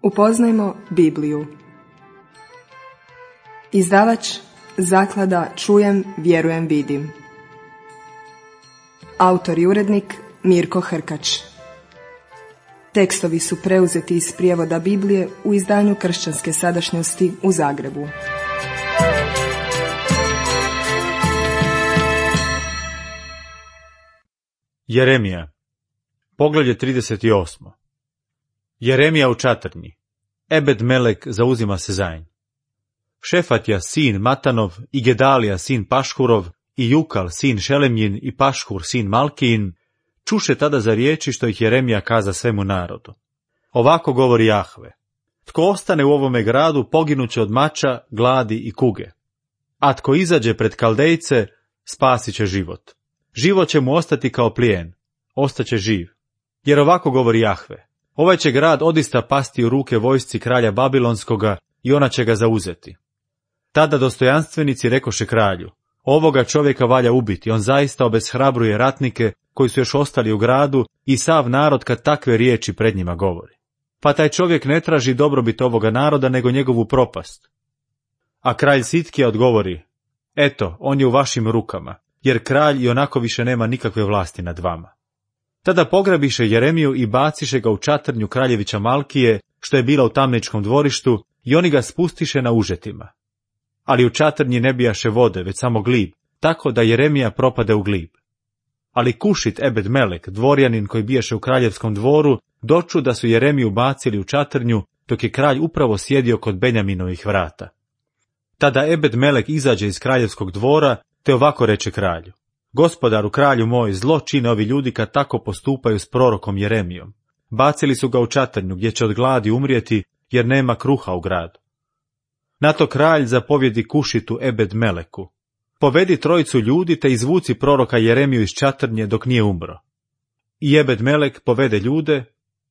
Upoznajmo Bibliju. Izdavač Zaklada Čujem, vjerujem, vidim. Autor i urednik Mirko Hrkač. Tekstovi su preuzeti iz prijevoda Biblije u izdanju Kršćanske sadašnjosti u Zagrebu. Jeremija, poglavlje 38. Jeremija u čatrnji. Ebed Melek zauzima se za nj. Šefatja sin Matanov i Gedalija sin Pašhurov i Jukal sin Šelemjin i Pašhur sin Malkijin čuše tada za riječi što ih Jeremija kaza svemu narodu. Ovako govori Jahve: tko ostane u ovome gradu poginuće od mača, gladi i kuge. A tko izađe pred Kaldejce, spasit će život. Život će mu ostati kao plijen, ostaće živ. Jer ovako govori Jahve: ovaj će grad odista pasti u ruke vojsci kralja Babilonskoga i ona će ga zauzeti. Tada dostojanstvenici rekoše kralju: ovoga čovjeka valja ubiti, on zaista obeshrabruje ratnike koji su još ostali u gradu i sav narod kad takve riječi pred njima govori. Pa taj čovjek ne traži dobrobit ovoga naroda nego njegovu propast. A kralj Sitkija odgovori: eto, on je u vašim rukama, jer kralj i onako više nema nikakve vlasti nad vama. Tada pograbiše Jeremiju i baciše ga u čatrnju kraljevića Malkije, što je bila u tamničkom dvorištu, i oni ga spustiše na užetima. Ali u čatrnji ne bijaše vode, već samo glib, tako da Jeremija propade u glib. Ali Kušit Ebed Melek, dvorjanin koji bijaše u kraljevskom dvoru, doču da su Jeremiju bacili u čatrnju, dok je kralj upravo sjedio kod Benjaminovih vrata. Tada Ebed Melek izađe iz kraljevskog dvora, te ovako reče kralju: gospodaru, kralju moj, zlo čine ovi ljudi kad tako postupaju s prorokom Jeremijom. Bacili su ga u čatrnju, gdje će od gladi umrijeti, jer nema kruha u gradu. Na to kralj zapovjedi Kušitu Ebed Meleku: povedi trojicu ljudi te izvuci proroka Jeremiju iz čatrnje dok nije umro. I Ebed Melek povede ljude,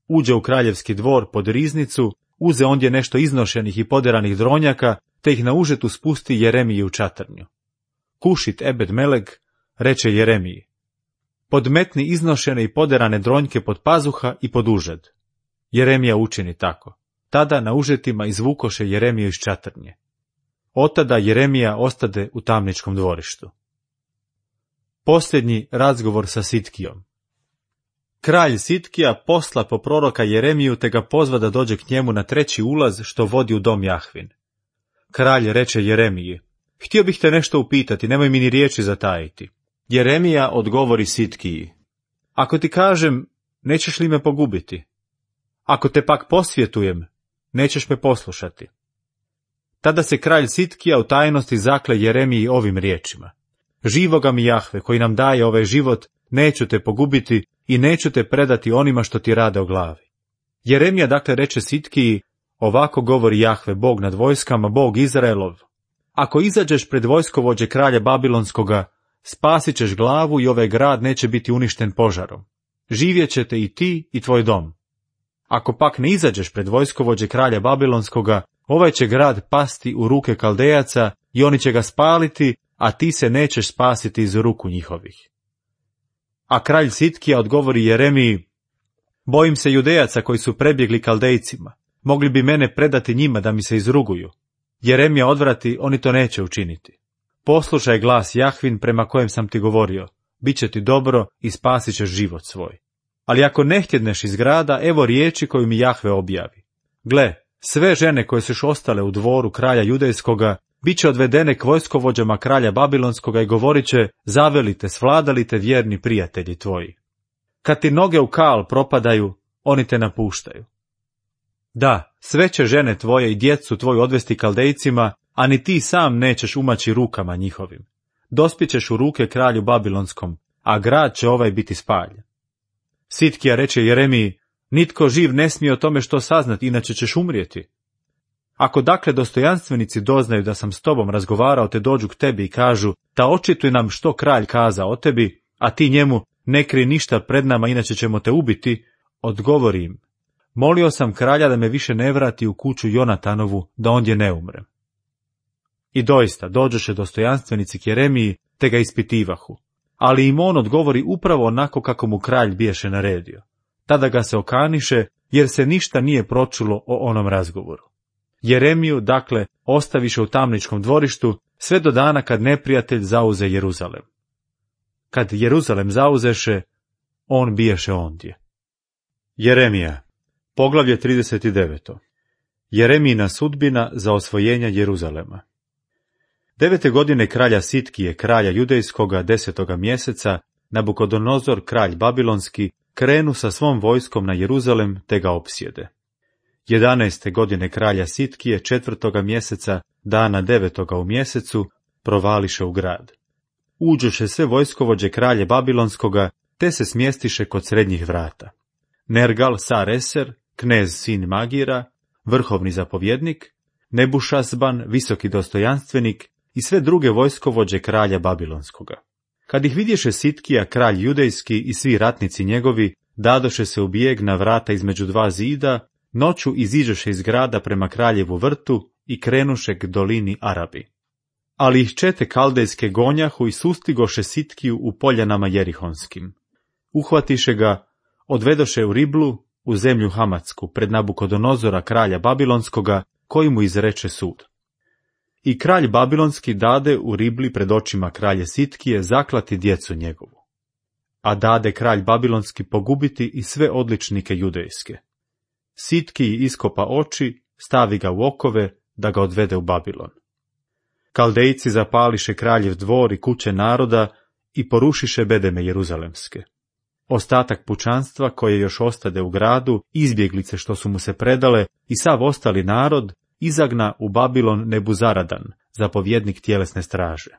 uđe u kraljevski dvor pod riznicu, uze ondje nešto iznošenih i poderanih dronjaka, te ih na užetu spusti Jeremiji u čatrnju. Kušit Ebed Melek reče Jeremiji: podmetni iznošene i poderane dronjke pod pazuha i pod užed. Jeremija učini tako. Tada na užetima izvukoše Jeremiju iz čatrnje. Otada Jeremija ostade u tamničkom dvorištu. Posljednji razgovor sa Sitkijom. Kralj Sitkija posla po proroka Jeremiju te ga pozva da dođe k njemu na treći ulaz što vodi u dom Jahvin. Kralj reče Jeremiji: htio bih te nešto upitati, nemoj mi ni riječi zatajiti. Jeremija odgovori Sitkiji: ako ti kažem, nećeš li me pogubiti? Ako te pak posvjetujem, nećeš me poslušati. Tada se kralj Sitkija u tajnosti zakle Jeremiji ovim riječima: živoga mi Jahve, koji nam daje ovaj život, neću te pogubiti i neću te predati onima što ti rade o glavi. Jeremija dakle reče Sitkiji: ovako govori Jahve, Bog nad vojskama, Bog Izraelov: ako izađeš pred vojskovođe kralja Babilonskoga, spasit ćeš glavu i ovaj grad neće biti uništen požarom. Živjet ćete i ti i tvoj dom. Ako pak ne izađeš pred vojskovođe kralja Babilonskoga, ovaj će grad pasti u ruke Kaldejaca i oni će ga spaliti, a ti se nećeš spasiti iz ruku njihovih. A kralj Sitkija odgovori Jeremiji: bojim se Judejaca koji su prebjegli Kaldejcima, mogli bi mene predati njima da mi se izruguju. Jeremija odvrati: oni to neće učiniti. Poslušaj glas Jahvin prema kojem sam ti govorio, bit će ti dobro i spasit ćeš život svoj. Ali ako ne htjedneš iz grada, evo riječi koju mi Jahve objavi. Gle, sve žene koje su još ostale u dvoru kralja Judejskoga, bit će odvedene k vojskovođama kralja Babilonskoga i govorit će: zavelite, svladalite vjerni prijatelji tvoji. Kad ti noge u kal propadaju, oni te napuštaju. Da, sve će žene tvoje i djecu tvoju odvesti Kaldejcima, a ni ti sam nećeš umaći rukama njihovim. Dospićeš u ruke kralju Babilonskom, a grad će ovaj biti spaljen. Sitkija reče Jeremiji: nitko živ ne smije o tome što saznati, inače ćeš umrijeti. Ako dakle dostojanstvenici doznaju da sam s tobom razgovarao te dođu k tebi i kažu: da očituj nam što kralj kaza o tebi, a ti njemu: ne krij ništa pred nama, inače ćemo te ubiti, odgovori im: molio sam kralja da me više ne vrati u kuću Jonatanovu, da ondje ne umrem. I doista dođoše dostojanstvenici k Jeremiji te ga ispitivahu, ali im on odgovori upravo onako kako mu kralj biješe naredio. Tada ga se okaniše jer se ništa nije pročulo o onom razgovoru. Jeremiju, dakle, ostaviše u tamničkom dvorištu sve do dana kad neprijatelj zauze Jeruzalem. Kad Jeruzalem zauzeše, on biješe ondje. Jeremija, poglavlje 39. Jeremijina sudbina za osvojenje Jeruzalema. 9. godine kralja Sitkije, kralja judejskoga, 10. mjeseca, Nabukodonozor, kralj babilonski, krenu sa svom vojskom na Jeruzalem te ga opsjede. 11. godine kralja Sitkije, 4. mjeseca, dana 9. u mjesecu, provališe u grad. Uđoše sve vojskovođe kralje babilonskoga, te se smjestiše kod srednjih vrata. Nergal Sareser, knez sin Magira, vrhovni zapovjednik, Nebušazban, visoki dostojanstvenik i sve druge vojskovođe kralja babilonskoga. Kad ih vidješe Sitkija, kralj judejski i svi ratnici njegovi, dadoše se u bijeg na vrata između dva zida, noću iziđoše iz grada prema kraljevu vrtu i krenuše k dolini Arabi. Ali ih čete kaldejske gonjahu i sustigoše Sitkiju u poljanama jerihonskim. Uhvatiše ga, odvedoše u Riblu, u zemlju Hamatsku, pred Nabukodonozora kralja babilonskoga, koji mu izreče sud. I kralj babilonski dade u Ribli pred očima kralje Sitkije zaklati djecu njegovu. A dade kralj babilonski pogubiti i sve odličnike judejske. Sitkiji iskopa oči, stavi ga u okove, da ga odvede u Babilon. Kaldejci zapališe kraljev dvor i kuće naroda i porušiše bedeme jeruzalemske. Ostatak pučanstva koje još ostade u gradu, izbjeglice što su mu se predale i sav ostali narod, izagna u Babilon Nebuzaradan, zapovjednik tjelesne straže.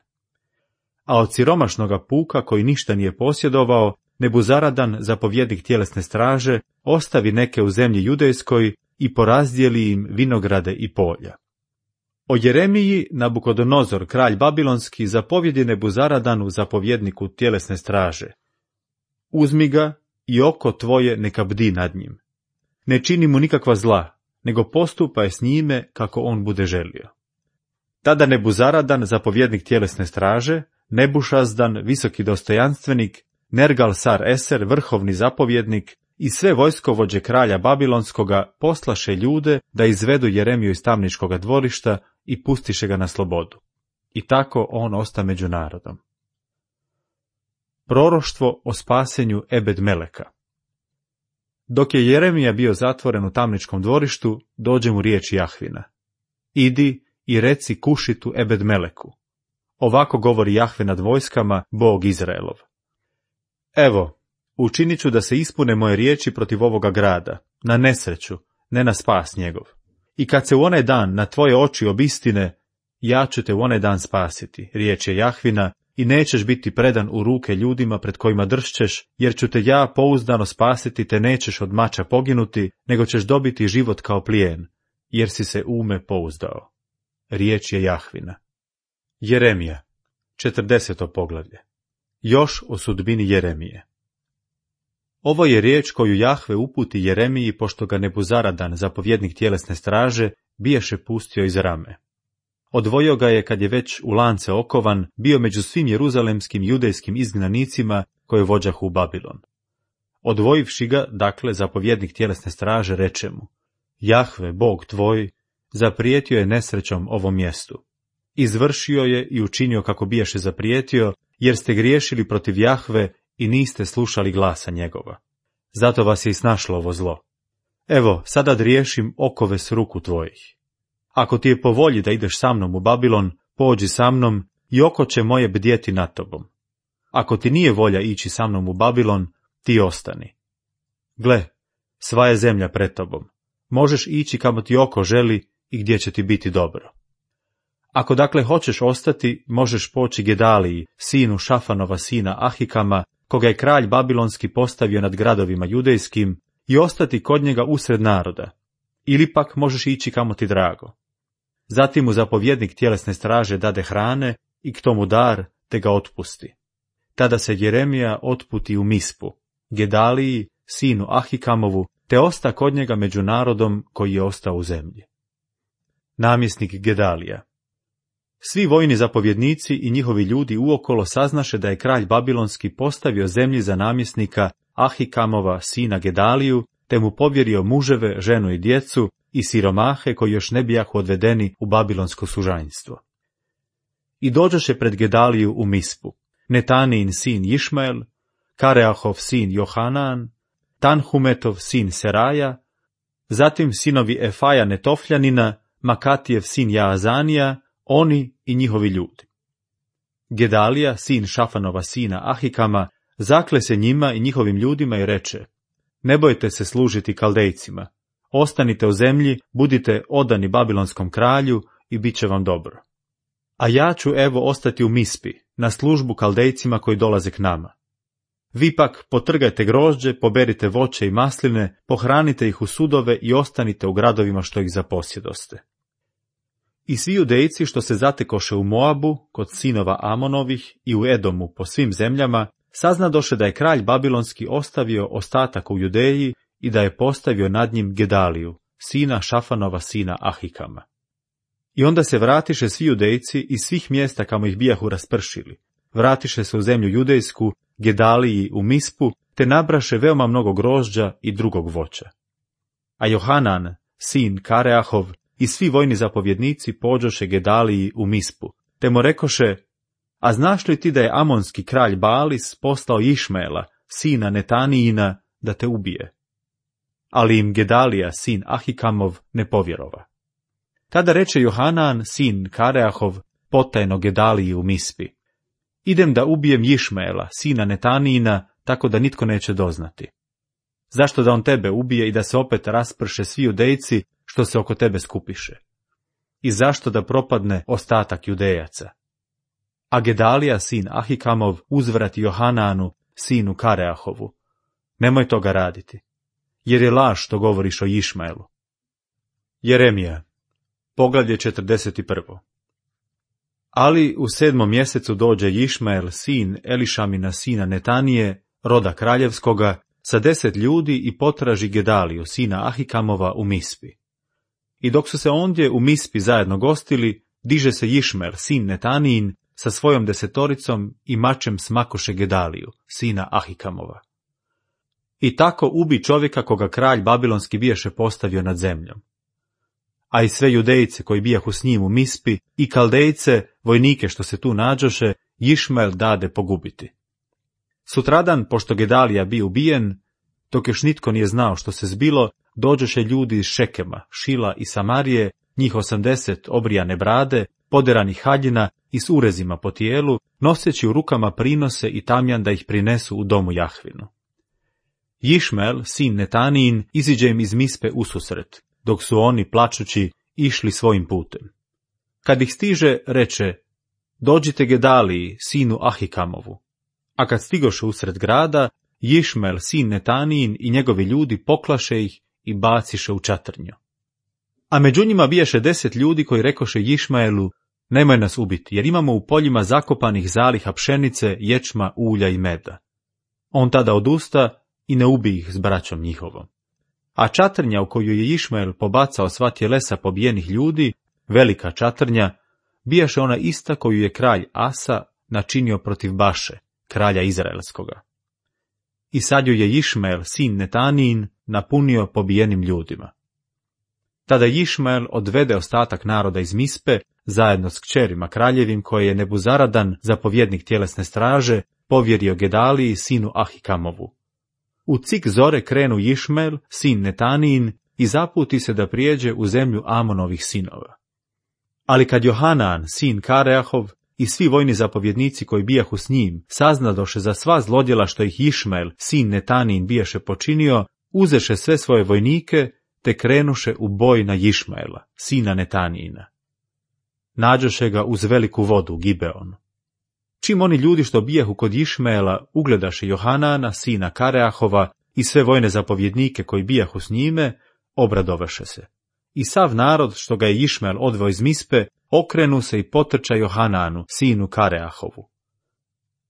A od siromašnoga puka koji ništa nije posjedovao, Nebuzaradan, zapovjednik tjelesne straže, ostavi neke u zemlji judejskoj i porazdijeli im vinograde i polja. O Jeremiji Nabukodonozor, kralj babilonski, zapovjedi Nebuzaradanu, zapovjedniku tjelesne straže. Uzmi ga i oko tvoje neka bdi nad njim. Ne čini mu nikakva zla, nego postupaj s njime kako on bude želio. Tada Nebuzaradan, zapovjednik tjelesne straže, Nebušazdan, visoki dostojanstvenik, Nergal Sareser, vrhovni zapovjednik i sve vojskovođe kralja babilonskoga poslaše ljude da izvedu Jeremiju iz tamničkoga dvorišta i pustiše ga na slobodu. I tako on osta među narodom. Proroštvo o spasenju Ebed Meleka. Dok je Jeremija bio zatvoren u tamničkom dvorištu, dođe mu riječ Jahvina. Idi i reci Kušitu Ebed Meleku. Ovako govori Jahve nad vojskama, Bog Izraelov. Evo, učinit ću da se ispune moje riječi protiv ovoga grada, na nesreću, ne na spas njegov. I kad se u onaj dan na tvoje oči obistine, ja ću te u onaj dan spasiti, riječ je Jahvina, i nećeš biti predan u ruke ljudima pred kojima dršćeš, jer ću te ja pouzdano spasiti, te nećeš od mača poginuti, nego ćeš dobiti život kao plijen, jer si se u me pouzdao. Riječ je Jahvina. Jeremija, 40. poglavlje. Još o sudbini Jeremije. Ovo je riječ koju Jahve uputi Jeremiji, pošto ga Nebuzaradan, zapovjednik tjelesne straže, biješe pustio iz Rame. Odvojio ga je kad je već u lance okovan, bio među svim jeruzalemskim judejskim izgnanicima koje vođahu u Babilon. Odvojivši ga, dakle, zapovjednik tjelesne straže reče mu: Jahve, Bog tvoj, zaprijetio je nesrećom ovom mjestu. Izvršio je i učinio kako biješe zaprijetio, jer ste griješili protiv Jahve i niste slušali glasa njegova. Zato vas je i snašlo ovo zlo. Evo, sada driješim okove s ruku tvojih. Ako ti je po volji da ideš sa mnom u Babilon, pođi sa mnom i oko će moje bdjeti nad tobom. Ako ti nije volja ići sa mnom u Babilon, ti ostani. Gle, sva je zemlja pred tobom. Možeš ići kamo ti oko želi i gdje će ti biti dobro. Ako dakle hoćeš ostati, možeš poći Gedaliji, sinu Šafanova sina Ahikama, koga je kralj babilonski postavio nad gradovima judejskim, i ostati kod njega usred naroda. Ili pak možeš ići kamo ti drago. Zatim mu zapovjednik tjelesne straže dade hrane i k tomu dar, te ga otpusti. Tada se Jeremija otputi u Mispu, Gedaliji, sinu Ahikamovu, te osta kod njega među narodom koji je ostao u zemlji. Namjesnik Gedalija. Svi vojni zapovjednici i njihovi ljudi uokolo saznaše da je kralj babilonski postavio zemlji za namjesnika Ahikamova sina Gedaliju, te mu povjerio muževe, ženu i djecu i siromahe koji još ne bijahu odvedeni u babilonsko sužanjstvo. I dođoše pred Gedaliju u Mispu, Netanijin sin Išmael, Kareahov sin Johanan, Tanhumetov sin Seraja, zatim sinovi Efaja Netofljanina, Makatijev sin Jaazanija, oni i njihovi ljudi. Gedalija, sin Šafanova sina Ahikama, zakle se njima i njihovim ljudima i reče: ne bojte se služiti Kaldejcima, ostanite u zemlji, budite odani babilonskom kralju i bit će vam dobro. A ja ću evo ostati u Mispi, na službu Kaldejcima koji dolaze k nama. Vi pak potrgajte grožđe, poberite voće i masline, pohranite ih u sudove i ostanite u gradovima što ih zaposjedoste. I svi Judejci što se zatekoše u Moabu, kod sinova Amonovih i u Edomu po svim zemljama, saznadoše da je kralj babilonski ostavio ostatak u Judeji i da je postavio nad njim Gedaliju, sina Šafanova sina Ahikama. I onda se vratiše svi Judejci iz svih mjesta kamo ih bijahu raspršili. Vratiše se u zemlju judejsku, Gedaliji u Mispu, te nabraše veoma mnogo grožđa i drugog voća. A Johanan, sin Kareahov, i svi vojni zapovjednici pođoše Gedaliji u Mispu, te mu rekoše: a znaš li ti da je amonski kralj Baalis poslao Išmaela, sina Netanijina, da te ubije? Ali im Gedalija, sin Ahikamov, ne povjerova. Tada reče Johanan, sin Kareahov, potajno Gedaliji u Mispi: idem da ubijem Išmaela, sina Netanijina, tako da nitko neće doznati. Zašto da on tebe ubije i da se opet rasprše svi Judejci što se oko tebe skupiše? I zašto da propadne ostatak Judejaca? A Gedalija, sin Ahikamov, uzvrati Johananu, sinu Kareahovu: nemoj toga raditi, jer je laž što govoriš o Išmaelu. Jeremija, poglavlje 41. Ali u 7. mjesecu dođe Išmael, sin Elišamina sina Netanije, roda kraljevskoga, sa 10 ljudi i potraži Gedaliju, sina Ahikamova, u Mispi. I dok su se ondje u Mispi zajedno gostili, diže se Išmael, sin Netanijin, sa svojom 10 i mačem smakoše Gedaliju, sina Ahikamova. I tako ubi čovjeka koga kralj babilonski bijaše postavio nad zemljom. A i sve Judejce koji bijahu s njim u Mispi i Kaldejce, vojnike što se tu nađoše, Išmael dade pogubiti. Sutradan, pošto Gedalija bio ubijen, dok još nitko nije znao što se zbilo, dođoše ljudi iz Šekema, Šila i Samarije, njih 80 obrijane brade, poderanih haljina i s urezima po tijelu, noseći u rukama prinose i tamjan da ih prinesu u domu Jahvinu. Išmael, sin Netanijin, iziđe im iz Mispe ususret, dok su oni, plačući, išli svojim putem. Kad ih stiže, reče: dođite Gedaliji, sinu Ahikamovu. A kad stigoše usred grada, Išmael, sin Netanijin, i njegovi ljudi poklaše ih i baciše u čatrnju. A među njima bijaše 10 ljudi koji rekoše Išmaelu: nemoj nas ubiti, jer imamo u poljima zakopanih zaliha pšenice, ječma, ulja i meda. On tada odusta i ne ubi ih s braćom njihovom. A čatrnja u koju je Išmael pobacao sva tjelesa pobijenih ljudi, velika čatrnja, bijaše ona ista koju je kralj Asa načinio protiv Baše, kralja Izraelskoga. I sad ju je Išmael, sin Netanijin, napunio pobijenim ljudima. Tada Išmael odvede ostatak naroda iz Mispe, zajedno s kćerima kraljevim, koje je Nebuzaradan, zapovjednik tjelesne straže, povjerio Gedaliji, sinu Ahikamovu. U cik zore krenu Išmael, sin Netanijin, i zaputi se da prijeđe u zemlju Amonovih sinova. Ali kad Johanan, sin Kareahov, i svi vojni zapovjednici koji bijahu s njim saznadoše za sva zlodjela što ih Išmael, sin Netanijin, bijaše počinio, uzeše sve svoje vojnike, te krenuše u boj na Išmaela, sina Netanijina. Nađoše ga uz veliku vodu, Gibeon. Čim oni ljudi što bijahu kod Išmaela ugledaše Johanana, sina Kareahova, i sve vojne zapovjednike koji bijahu s njime, obradovaše se. I sav narod što ga je Išmael odveo iz Mispe, okrenu se i potrča Johananu, sinu Kareahovu.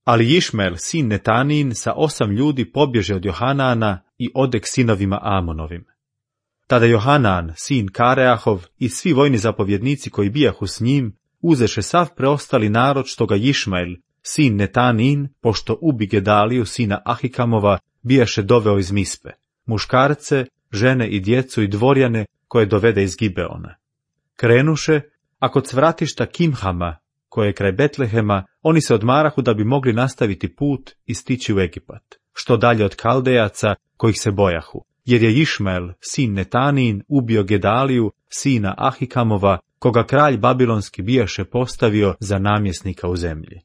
Ali Išmael, sin Netanijin, sa 8 ljudi pobježe od Johanana i ode k sinovima Amonovim. Tada Johanan, sin Kareahov, i svi vojni zapovjednici koji bijahu s njim, uzeše sav preostali narod što ga Išmael, sin Netanijin, pošto ubi Gedaliju, sina Ahikamova, bijaše doveo iz Mispe, muškarce, žene i djecu i dvorjane koje dovede iz Gibeona. Krenuše, a kod cvratišta Kimhama, koje je kraj Betlehema, oni se odmarahu da bi mogli nastaviti put i stići u Egipat, što dalje od Kaldejaca, kojih se bojahu, jer je Išmael, sin Netanin, ubio Gedaliju, sina Ahikamova, koga kralj babilonski bijaše postavio za namjesnika u zemlji.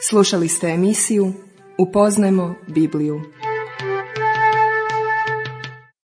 Slušali ste emisiju Upoznajmo Bibliju.